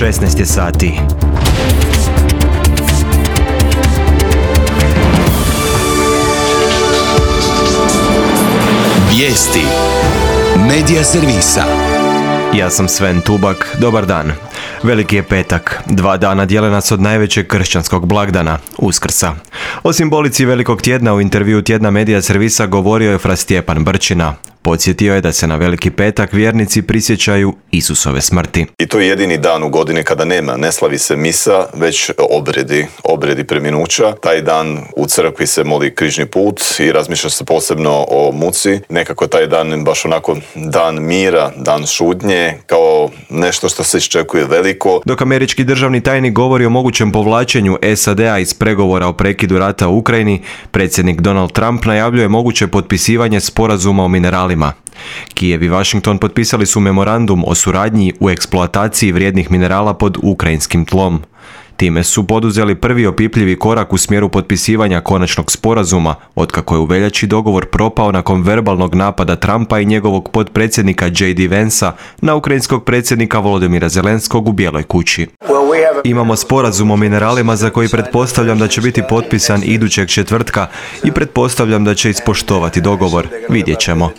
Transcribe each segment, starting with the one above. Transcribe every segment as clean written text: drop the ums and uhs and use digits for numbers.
16 je sati. Vijesti Medija servisa. Ja sam Sven Tubak, dobar dan. Veliki je petak, 2 dana dijele nas od najvećeg kršćanskog blagdana, Uskrsa. O simbolici velikog tjedna u intervjuu tjedna Medija servisa govorio je fra Stjepan Brčina. Podsjetio je da se na veliki petak vjernici prisjećaju Isusove smrti. I to je jedini dan u godini kada ne slavi se misa, već obredi preminuća. Taj dan u crkvi se moli križni put i razmišlja se posebno o muci. Nekako taj dan baš onako dan mira, dan šutnje, kao nešto što se iščekuje veliko. Dok američki državni tajnik govori o mogućem povlačenju SAD-a iz pregovora o prekidu rata u Ukrajini, predsjednik Donald Trump najavljuje moguće potpisivanje sporazuma o mineralima. Kijev i Washington potpisali su memorandum o suradnji u eksploataciji vrijednih minerala pod ukrajinskim tlom. Time su poduzeli prvi opipljivi korak u smjeru potpisivanja konačnog sporazuma, otkako je u veljači dogovor propao nakon verbalnog napada Trumpa i njegovog potpredsjednika J.D. Vansa na ukrajinskog predsjednika Volodymyra Zelenskog u Bijeloj kući. Imamo sporazum o mineralima za koji pretpostavljam da će biti potpisan idućeg četvrtka i pretpostavljam da će ispoštovati dogovor. Vidjet ćemo.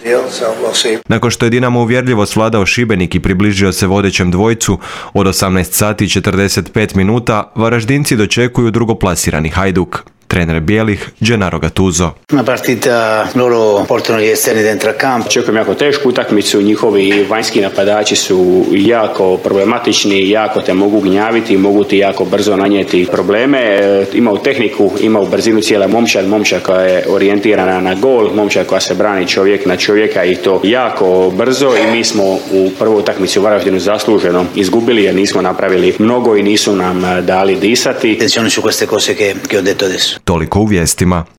Nakon što je Dinamo uvjerljivo svladao Šibenik i približio se vodećem dvojcu, od 18 sati i 45 minuta Varaždinci dočekuju drugoplasirani Hajduk. Trener bijelih, Gennaro Gattuso. Una partita, loro portano gli esterni dentro campo. Očekujem jako tešku utakmicu, njihovi vanjski napadači su jako problematični, jako te mogu gnjaviti, mogu ti jako brzo nanijeti probleme. Imaju tehniku, imaju brzinu cijela momčad koja je orijentirana na gol, momčad koja se brani čovjek na čovjeka i to jako brzo i mi smo u prvoj utakmici u Varaždinu zasluženo izgubili jer nismo napravili mnogo i nisu nam dali disati. Attenzione su queste cose che ho detto adesso. Toliko u vijestima.